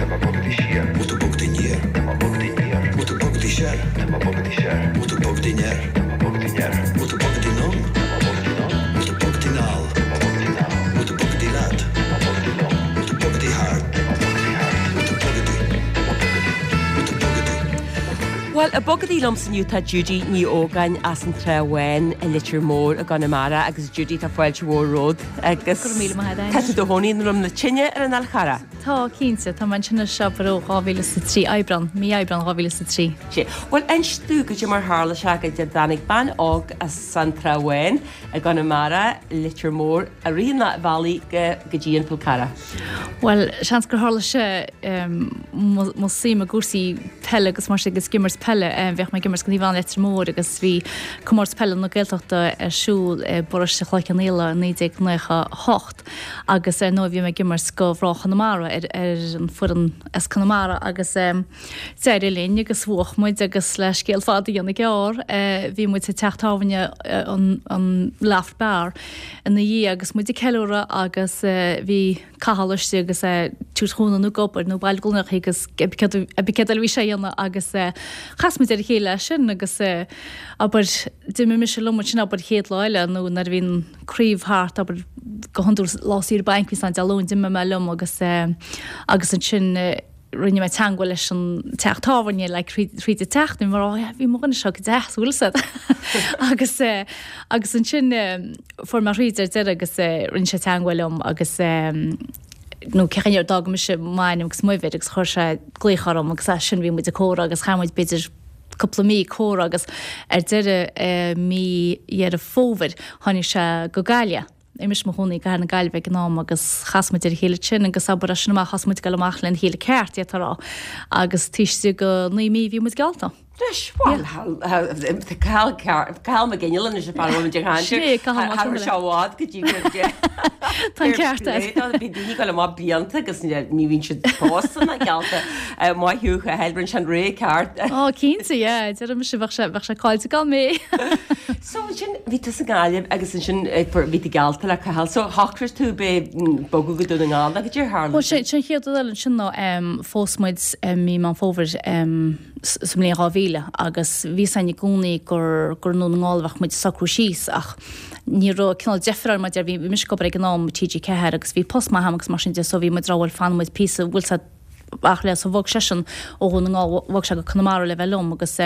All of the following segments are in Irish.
Tá mé bogtha siar. Bhfuil tú bogtha aniar? Tá mé bogtha aniar. Bhfuil tú bogtha soir? Tá mé bogtha soir. Bhfuil tú bogtha aniar? Tá mé bogtha aniar. Bhfuil tú bogtha anonn? Tá mé bogtha anonn. Bhfuil tú bogtha anall? Tá mé bogtha anall. Bhfuil tú bogtha leat? Tá mé bogtha liom. Bhfuil tú bogtha thart? Tá mé bogtha thart. Bhfuil tú bogtha? Tá mé bogtha. Bhfuil tú bogtha? Tá mé bogtha. Bhuel, ag bogadaí liomsa inniu tá Judy Ní Ógáin as an Trá Bháin i Leitir Móir i gConamara agus Judy tá fáilte mhór romhat agus Go raibh míle maith agat. tá tú i do chónaí i nDroim na Tine ar an Fhál Charrach. Tá, cinnte. Tá mé ansin anois abair ó 2003, Aibreán, mí Aibreán 2003. Sea. Bhuel, inis domh goidé mar tharla sé go dtáinig bean óg as an Trá Bháin i gConamara, Leitir Móir, i rith an bhealaigh go go dtí an Fál Carrach. Bhuel, seans gur tharla sé mo suim i gcúrsaí peile agus mar sin agus ag imirt peile. Bhíodh mé ag imirt don Naomh Anna Leitir Móir agus bhí Comórtas Peile na Gaeltachta ar siúl i bparóiste Chloich Cheann Fhaola i 1998 agus ar ndóigh bhí mé ag imirt do mhná Chonamara ar an foireann as Conamara agus d'éirigh linn agus bhuach muid agus le scéal fada a dhéanamh gearr bhí muid sa teach tábhairne an Loft Bar ina dhiaidh agus muid ag ceiliúradh agus bhí Cathal istigh agus é ag tabhairt chúnamh nó ag obair nó ag bailiú gloineacha agus cibé céard eile a bhí sé a dhéanamh agus chas muid ar a chéile as sin agus abair d'imigh mise liom ansin abair chéad lá eile nó nuair a bhí an craobh thart abair go hiondúil lá saoire bainc bhí ann Dé Luain d'imigh mé liom agus agus ansin rinne mé teangmháil leis an teach tábhairne like thríd an tseachtain mar oh bhí mo dhuine seo go deas bhfuil fhios agat agus eh, agus ansin eh, fuair mé thríd ar deireadh agus eh, rinne sé teangmháil liom agus eh, nó cén chaoi ar d'fhág mise m'ainm agus m'uimhir agus chuir sé glaoch orm agus as sin bhí muid ag comhrá agus chaith muid b'fhéidir cúpla mí ag comhrá agus ar deireadh eh, mí Dheireadh Fómhair tháinig sé go Gaillimh. Bhí mise i mo chónaí i gCathair na Gaillimhe ag an am agus chas muid ar a chéile ansin agus abair as sin amach thosaigh muid ag dul amach lena chéile ceart, d'fhéadfá a rá, agus taobh istigh de naoi mí bhí muid geallta. Anois, bhuel, Cathal Cathal Mac Fhionnghaile anois an fear a bhfuil muid ag caint Sin é, Cathal Mac Cha raibh sé i bhfad go dtí go Tá an ceart agat. Bhí daoine ag dul amach blianta agus ní bhíonn siad pósta ná geallta. Maith thú, a Chathail, rinne sé an ré ceart. Ó, cinnte, yeah, deirim mise bheadh sé bheadh sé caillte gan mé. So ansin bhí tú sa nGaillimh agus ansin bhí tú geallta le Cathal. So shocraigh tú b'é bogadh go Dún na nGall nó goidé a tharla Bhuel sé an chéad rud eile ansin ná phós muid mí Meán Fómhair sa mbliain 2000 agus bhí fhios againn i gcónaí gur gur i nDún na nGall a bheadh muid ag socrú síos ach ní raibh cineál deifir orainn mar bhí mise ag obair ag an am i TG4 agus bhí post maith agam agus mar sin de so bhí muid ag rá bhuel fanfaidh muid píosa bhfuil 's a'd ach le so bhog seisean ó Dhún na nGall, bhog sé go Conamara le bheith liom agus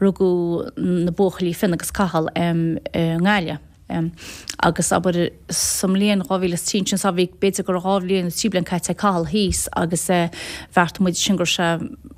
rugadh na buachaillí Fionn agus Cathal i nGaillimh. Agus abair sa mbliain 2003 ansin so bhí b'fhéidir go raibh 2 bhliain nó 3 bliain caite ag Cathal thíos agus bheartaigh muid sin go raibh sé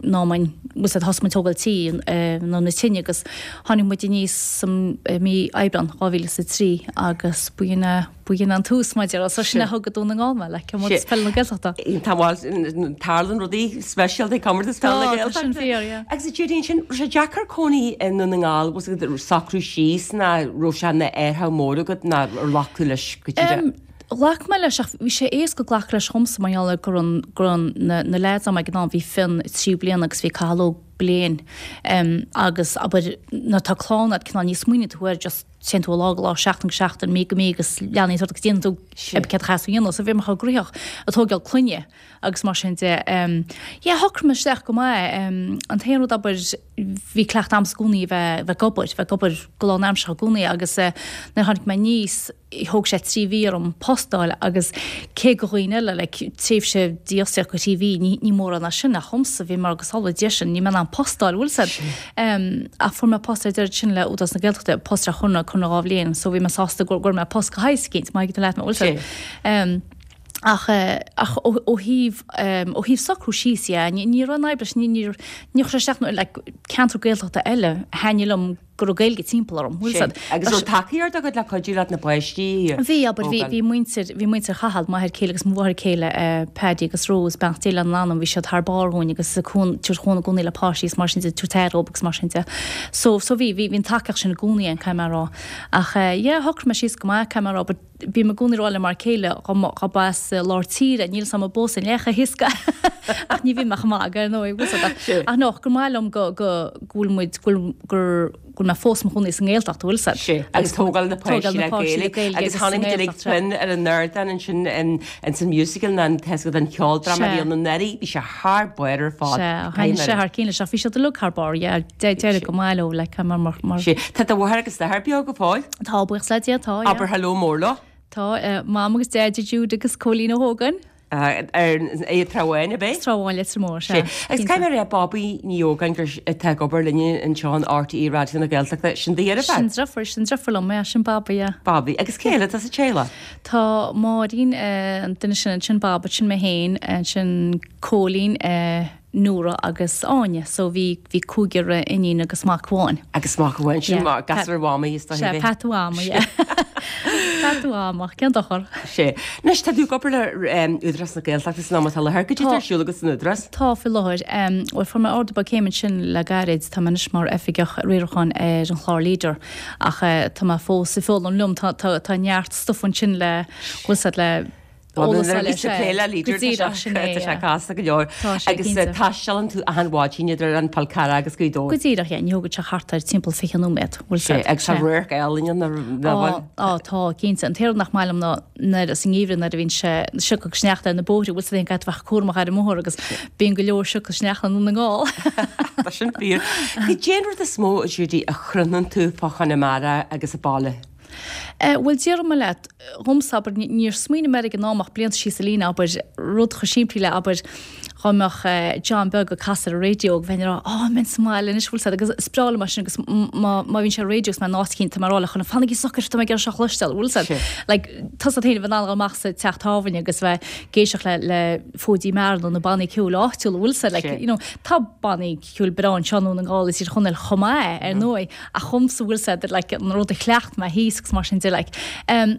in am bhfuil 's a'd thosaigh muid tógáil tí i nDroim na Tine agus tháinig muid aníos sa mí Aibreán 2003 agus b'in é B'in an tús maidir le so sin a thug go Dún na nGall mé le Comórtas Peile na Gaeltachta. Tá bhuel, tarlaíonn rudaí speisialta ag Comórtas Peile na Tá, tá Gaeltachta. sin fíor, yeah. Agus a Judy, ansin, raibh sé deacair cónaí i nDún na nGall, was it socrú síos ná raibh sé ina athrú mór agat ná ar ghlac tú leis go díreach? Em, ghlac mé leis ach bhí sé éasca glacadh leis dhomsa mar gheall ar go raibh go raibh na na leaids a'm ag an am, bhí Fionn 3 bliana agus bhí Cathal Óg bliain, em, agus abair nuair atá clann a'd cineál ní smaoiníonn tú air just Téann tú ó lá go lá, seachtain go seachtain, mí go mí agus leanaí ort agus déanann tú cibé céard a chaithfeas tú a dhéanamh. So bhí mé chomh gnoitheach ag tógáil clainne agus mar sin de. Yeah, shocraigh mé isteach go maith. An t-aon rud abair, bhí cleachtadh a'msa i gcónaí a bheith ag obair, bheith ag obair go lánamseartha i gcónaí agus nuair a tháinig mé aníos, thóg sé 3 mhí orm post a fháil agus cé go dhaoine eile like tréimhse dífhostaíocht go 3 mhí ní ní mórán é sin ach dhomsa bhí mar agus sála Dia sin níl mé in ann post a fháil bhfuil 's a'd um, ach fuair mé post ar deireadh sin le Údarás na Gaeltachta post ar chonradh conradh 2 bhliain so bhí mé sásta go raibh mé post go háit éicint má thuigeann tú leat mé bhfuil 's a'd um, ach eh, ach ó ó thaobh um, ó thaobh socrú síos yeah, ní ní raibh an fhadhb leis ní ní ní chuir sé isteach nó like ceantar Gaeltachta eile thaitnigh liom go raibh Gaeilge timpeall orm, bhfuil 's a'd. Agus raibh tacaíocht agat le cuidiú leat na páistí a Bhí, abair, bhí, bhí muintir, bhí muintir Chathail, m'athair céile agus mo mháthair céile, Paddy agus Rose, beannacht Dé lena n-anam, bhí siad thar barr dhúinn agus ag cún, tabhairt chúnamh i gcónaí le páistí is mar sin de, tabhairt aire dhóibh agus mar sin de. So, so bhí, bhí, bhí an tacaíocht sin i gcónaí ann, caithfidh mé a rá. Ach yeah, shocraigh mé síos go maith, caithfidh mé a rá, but bím i gcónaí ag rá le m'fhear céile dá mba, dá mba as lár tíre, níl 's a'm an bpósfainn é chomh héasca ach ní bhím ach ag magadh ar ndóigh, bhfuil 's a'd ach, ach no, gur maith liom go, go, go bhfuil muid, go bhfuil, gur, go bhfuil. go bhfuil mé fós i mo chónaí sa nGaeltacht, bhfuil 'fhios a'd. Sea, agus tógáil na páistí le Gaeilge. Agus chonaic muid uilig Finn ar an ardán ansin ins an musical nó an tá an cheoldráma a bhí ann anuraidh, bhí sé thar barr ar fad. Sea, thaitnigh sé thar cionn leis ach bhí siad uilig thar barr, yeah, d'éirigh go maith leo, like, mar, mar. Sea, tá do mháthair agus d'athair beo go fóill? Tá, buíochas le Dia, tá, yeah. Abair hello mór leo. Tá, Mam agus Deaide, Jude agus Cóilín Ó hÓgáin. Ar an Trá Bháin, ab é? Trá Bháin, Leitir Móir, sea. Agus caithfidh mé a rá, Bobby Ní Ógáin gur atá ag obair linne anseo in RTÉ Raidió na Gaeltachta, sin do dheirfiúr? Sin deirfiúr, sin deirfiúr liom, yeah, sin Bobby, yeah. Bobby. Agus cé eile atá sa teaghlach? Tá Máirín, an duine sin, ansin Bobby, sin mé féin, ansin Cóilín, Nóra agus Áine. So bhí, bhí cúigear iníon agus mac amháin. Agus mac amháin, sin yeah. gasúr Mhamaí is dóigh. Sea, peata Mhamaí, yeah. Peata Mhama, cén dochar? Sea. Anois, tá tú ag obair le Údarás na Gaeltachta san am atá i láthair. Goidé atá ar siúl agat san Údarás? Tá, faoi láthair. Bhuel, fuair mé ardú beag céime ansin le gairid. Tá mé anois mar oifigeach riaracháin ar an chlár Leader. Ach tá mé fós ag foghlaim liom. Tá, tá, tá neart stuif ansin le, bhfuil 's a'd, le eolas a fháil. Plé le Leader, Go díreach, sin é, tá sé casta go leor. Tá sé, Agus cinnte. taistealann tú achan mhaidin idir an Fál Carrach agus Gaoth Dobhair. Go díreach, yeah, ní thógann sé thart ar timpeall 20 nóiméad, bhfuil 's a'd. Agus tá radharc álainn ann ar bhfuil? Á, tá, cinnte. An t-aon rud nach maith liom ná nuair, sa ngeimhreadh nuair a bhíonn sé sioc agus sneachta ar na bóithre, bhfuil 's a'd, caithfidh tú bheith cúramach ar an mbóthar agus bíonn go leor sioc agus sneachta i nDún na nGall. Tá sin fíor. Cad é an rud is mó, a Judy, a chronaíonn tú fá Chonamara agus an baile? Bhuel, déarfaidh mé leat, dhomsa, abair, níor smaoinigh mé air ag an am ach blianta síos an líne, abair, rud chomh simplí le, abair, dhá mbeadh John Beag ag casadh ar an raidió go mbeinn ag rá, Á, mbeinn sa mbaile anois, bhfuil 's a'd, agus is breá liom é sin agus má, má bhíonn sé ar an raidió agus mé in áit eicínt, tá mé ag rá le chuile dhuine, fanaigí socair, tá mé ag iarraidh seo a chloisteáil, bhfuil 's a'd. Like, tá 's a'd féin a bheith in ann a dhul amach sa teach tábhairne agus bheith ag éisteacht le, le Fóidí Meara nó na bannaí ceoil áitiúla, bhfuil 's a'd, like, you know, tá bannaí ceoil breá anseo i nDún na nGall is i dTír Chonaill chomh maith, ar ndóigh. Ach dhomsa bhfuil 's a'd like an rud a chleacht mé thíos agus mar sin de like em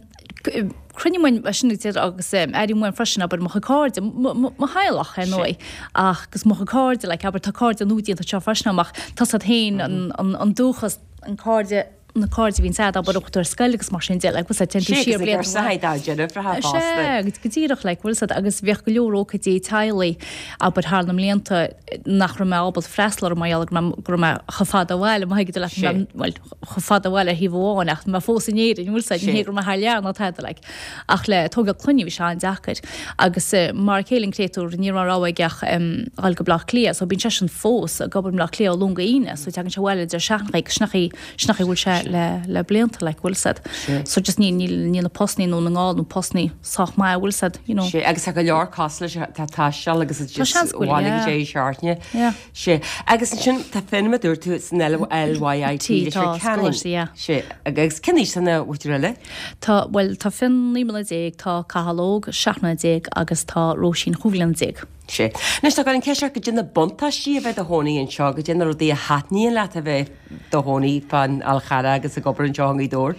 cronaím uaim sin a deir agus em airím uaim freisin abair mo chuid cairde mo mo mo theaghlach ar ndóigh ach agus mo chuid cairde like abair tá cairde nua déanta anseo freisin agam ach tá 's a'd féin an an an dúchas an cairde na cairde a bhíonns a'd abair ó chuaigh tú ar scoil agus mar sin de like bhfuil 's a'd téann tú siar blianta Sea agus na deirfiúracha fosta. Sea go díreach like bhfuil 's a'd agus bhíodh go leor ócáidí teaghlaigh abair thar na mblianta nach raibh mé ábalta freastal orthu mar gheall go raibh go raibh mé chomh fada ó bhaile, má thuigeann tú leat, Sea. bhuel, chomh fada ó bhaile ar thaobh amháin ach mé fós in Éirinn, bhfuil 's a'd, ní hé go raibh mé thar lear ná tada like. Ach le tógáil clainne bhí sé an-deacair. Agus mar a chéile an créatúr ní raibh rogha aige ach dhul go Baile Átha Cliath so bíonn seisean fós ag obair i mBaile Átha Cliath ó Luan go hAoine so tagann sé abhaile deireadh seachtaine agus sin an chaoi sin an chaoi a bhfuil sé le le blianta like bhfuil 's a'd. So just ní níl níl na postannaí i nDún na nGall nó postannaí sách maith bhfuil 's a'd, you know. Sea, agus tá go leor cosúil leis atá ag taisteal agus Tá seans go bhfuil, abhaile go yeah. deireadh seachtaine. Yeah. Sea, agus ansin tá Finn mar a dúirt tú san LYIT, T, Leitir tá, Ceanainn. scoláiste, yeah. Sea, agus cén aois tá na mhuintir eile? Tá, bhuel, tá Finn 19 mbliana, tá Cathal Óg 17 mbliana agus tá Róisín 15 bliana. Sea. Anois tá an cheist ort, goidé na buntáistí a bheith i do chónaí anseo, goidé na rudaí a thaitníonn leat a bheith i do chónaí fán Fhál Charrach agus ag obair anseo i nGaoth Dobhair?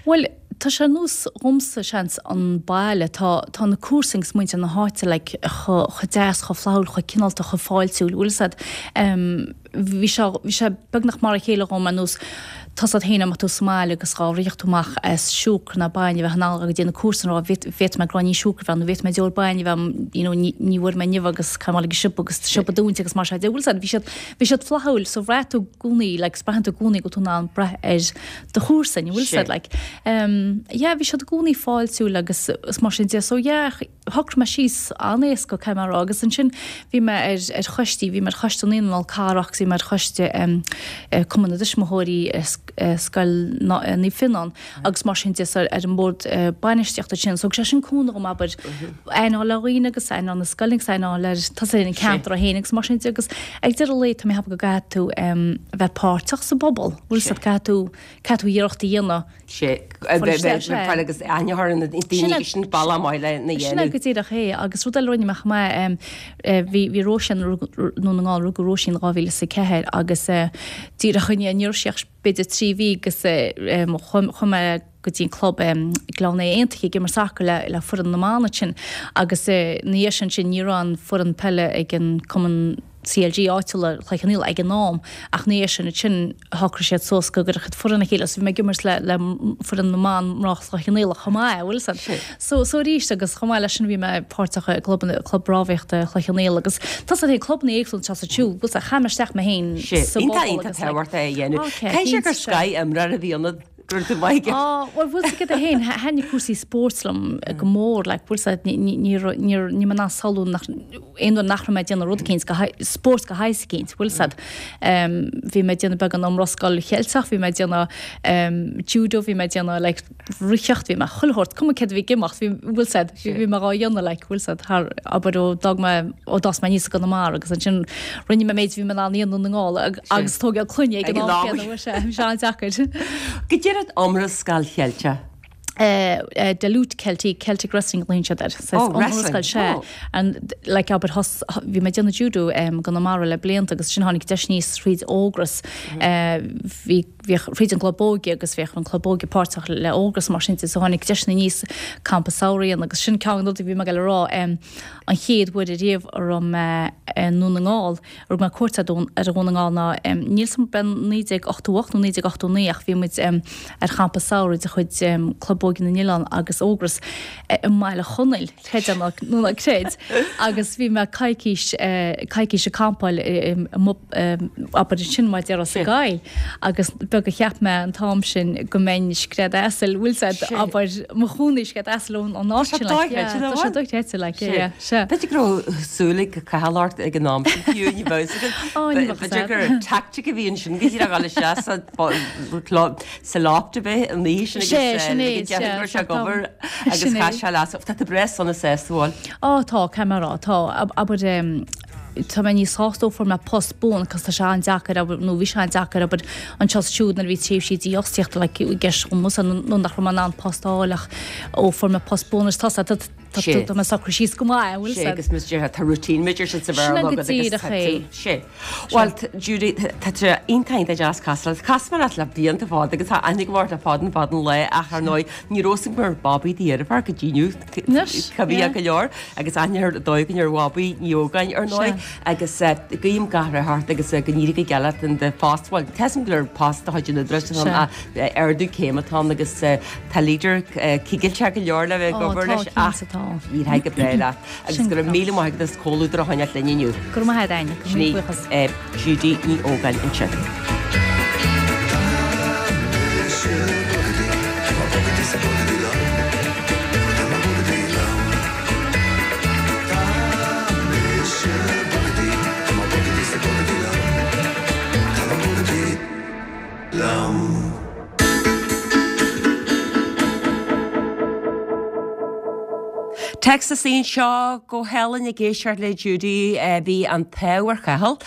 Bhuel, tá sé ar nós dhomsa, seans, an baile. Tá, tá na comharsain agus muintir na háite like chomh, chomh deas, chomh flaithiúil, chomh cineálta, chomh fáiltiúil, bhfuil 'fhios a'd. Em, bhí sé, bhí sé beagnach mar a chéile dhom ar nós tá 's a'd féin dá mbeadh tú sa mbaile agus dhá rithfeadh tú amach as siúcra ná bainne bheith in ann go dtí na comharsain a rá bhféadfaidh mé gráinnín siúcra a bheith nó bhféadfaidh mé deoir bainne a bheith you know ní, ní bhfuair mé inniu agus caithfidh mé dul ag an siopa agus siopa dúnta agus mar sin de bhfuil 's a'd bhí siad, bhí siad flaithiúil so bhraith tú i gcónaí like 's braitheann tú i gcónaí go bhfuil tú in ann brath ar do chomharsain bhfuil 's a'd like um yeah bhí siad i gcónaí fáiltiúil agus is mar sin de so yeah shocraigh mé síos an-éasca caithfidh mé a rá agus ansin bhí mé ar ar choistí bhí mé ar choiste Naíonra an Fhál Carrach agus bhí mé ar choiste um Cumann na dTuismitheoirí Scoil Naomh Fionán agus mar sin de so ar an mbord bainistíochta sin so thug sé sin cúnamh dhom abair aithne a fháil ar dhaoine agus aithne a fháil ar na scoileanna agus aithne a fháil ar tá 's a'd an ceantar é féin agus mar sin de agus ag deireadh an lae tá mé ag ceapadh go gcaithfidh tú a bheith páirteach sa bpobal bhfuil 's a'd caithfidh tú caithfidh tú iarracht a dhéanamh sé fáil agus aithne a chur ar na daoine agus sin bealach maith lena dhéanamh. Sin é go díreach é agus rud eile a rinne mé chomh maith bhí bhí Róisín i nDún na nGall rugadh Róisín 2004 agus díreach i ndiaidh ní raibh sí ach b'fhéidir 3 mhí agus chuaigh mé go dtí an club Gleann Aodha Aontaithe ag imirt sacair le le foireann na mban ansin agus ina dhiaidh sin sin ní raibh an foireann peile ag an cumann. CLG áitiúla Chloich Cheann Fhaola ag an am ach ina dhiaidh sin ansin shocraigh siad suas go gcuirfeadh siad foireann le chéile so bhí mé ag imirt le le foireann na mban mná Chloich Cheann Fhaola chomh maith bhfuil 'fhios a'd. So so arís agus chomh maith leis sin bhí mé páirteach i gclub club rámhaíochta Chloich Cheann Fhaola agus tá 'fhios a'd féin clubanna éagsúla anseo is ansiúd bhfuil 'fhios a'd chaith mé isteach mé féin sa Iontach bpobal iontach agus like tábhachtach é a dhéanamh. Ok Caithfidh sé gur cinnte. scoth-imreoir a bhí ionat go raibh tú maith aige. Á, bhuel, bhfuil 'fhios agat féin, thaitnigh cúrsaí spóirt liom go mór, like, bhfuil 'fhios a'd, ní, ní, ní, ní, níl mé in ann samhlú nach, aon uair nach raibh mé ag déanamh rud eicínt, go, spórt de shaghas eicínt, bhfuil 'fhios a'd. Bhí mé ag déanamh beagán iomrascáil Cheilteach, bhí mé ag déanamh judo, bhí mé ag déanamh, like, reathaíocht, bhí mé chuile shórt, cuma céard a bhí ag imeacht, bhí, bhfuil 'fhios a'd, bhí mé dhá dhéanamh, like, bhfuil 'fhios a'd, thar, abair ó d'fhág mé, ó d'fhás mé aníos i gConamara agus ansin rinne mé méid a bhí mé in ann a dhéanamh i nDún na nGall agus tógáil clainne ag an am céanna, bhfuil sé, bhí sé an-deacair. Goidé an iomrascáil Cheilteach. De lutte Celtique, Celtic Wrestling a ghlaonn siad air. Oh, wrestling, sea. Oh. And like abair thos, bhí mé ag déanamh judo i gConamara le blianta agus ansin tháinig deis aníos thríd Ógras. Bhí, bhíodh thríd an gclub óige agus bhíodh an club óige páirteach le Ógras mar sin de so tháinig deis aníos campa samhraidh a dhéanamh agus sin ceann de na rudaí a bhí mé ag dul a rá an chéad uair ariamh a raibh mé i nDún na nGall, a raibh mé cuairt ar Dhún na nGall ná, níl 's a'm ab é 1988 nó 1989 ach bhí muid ar champa samhraidh de chuid Club Óige na nOileán agus Ógras i mBaile Chonaill, creid é nó ná creid, agus bhí mé coicís, coicís ag campáil abair ansin mar a déarfá sa gcoill agus beag a cheap mé an t-am sin go mbeinn scread asail, bhfuil 's a'd, abair, mo chónaí scread asail ón áit sin, like, yeah, tá sé dochreidte, like, yeah, yeah. Sea. B'fhéidir go raibh súil ag Cathal ort ag an am sin fiú, ní bheadh 'fhios agat. Ó, ní bheadh 'fhios B'fhéidir gur tactic a bhí ansin go díreach dul isteach sa sa loft a bheith an oíche sin agus Sé, sin é, go deimhin go raibh sé ag obair agus Sin é. chaith sé leas. Tá tú breá sona sásta, bhfuil? Ó, tá, caithfidh mé a rá, tá. Abair, tá mé níos sásta ó fuair mé post buan cos tá sé an-deacair, abair, nó bhí sé an-deacair, abair, anseo is siúd nuair a bhí tréimhsí dífhostaíochta like i gceist dhomsa nó nach raibh mé in ann post a fháil ach ó fuair mé post buan is tá tá Tá Sé. Tá mé socraithe síos go maith, an bhfuil Sé, agus más déarfá, tá routine b'fhéidir sin sa Bhéarla Sin go agat agus díreach tá é. tú, sé. Bhuel, Judy, tá sé iontach iontach deas casadh leat. Chas mé leat le blianta fada agus tá aithne agam ort le fada an fada an lá ach ar ndóigh ní raibh 'fhios agam gur Bobby do dheirfiúr go dtí inniu, Anois, cuimhneach yeah. go leor agus aithne ar dóigh againn ar Bhobby Ní Ógáin ar ndóigh Sea. agus guím gach rath ort agus go n-éirí go geal leat in do phost. Bhuel, tá 'fhios agam gur post de chuid an Údaráis atá ann Sea. ach ardú céime atá ann agus tá leader cigilteach go leor le bheith ag Ó, obair tá, leis ach cinnte tá. éireoidh go breá leat agus Sin go raibh go. míle maith agat as comhluadar a choinneáilt linn inniu. Go raibh maith agat, Áine. Go Sin í míle buíochas. Judy Ní Ógáin ansin. Texas anseo go hálainn ag éisteacht le Judy. Bhí an t-ádh ar Chathal.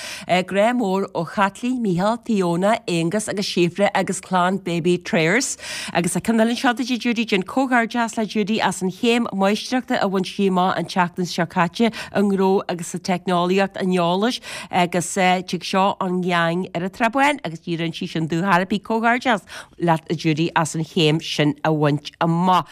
Grá mór ó Chaitlín, Mícheál, Fiona, Aonghus agus Síofra agus clann Baby Trayers. Agus tá ceann eile anseo do Judy, déan comhghairdeas le Judy as an chéim máistreachta a bhain sí amach an tseachtain seo caite i ngnó agus sa teicneolaíocht an eolais. Agus tig seo ón ngeaing ar an Trá Bháin agus ní rinne sí sin dúthracht ar bith. Comhghairdeas leat a Judy as an chéim sin a bhaint amach.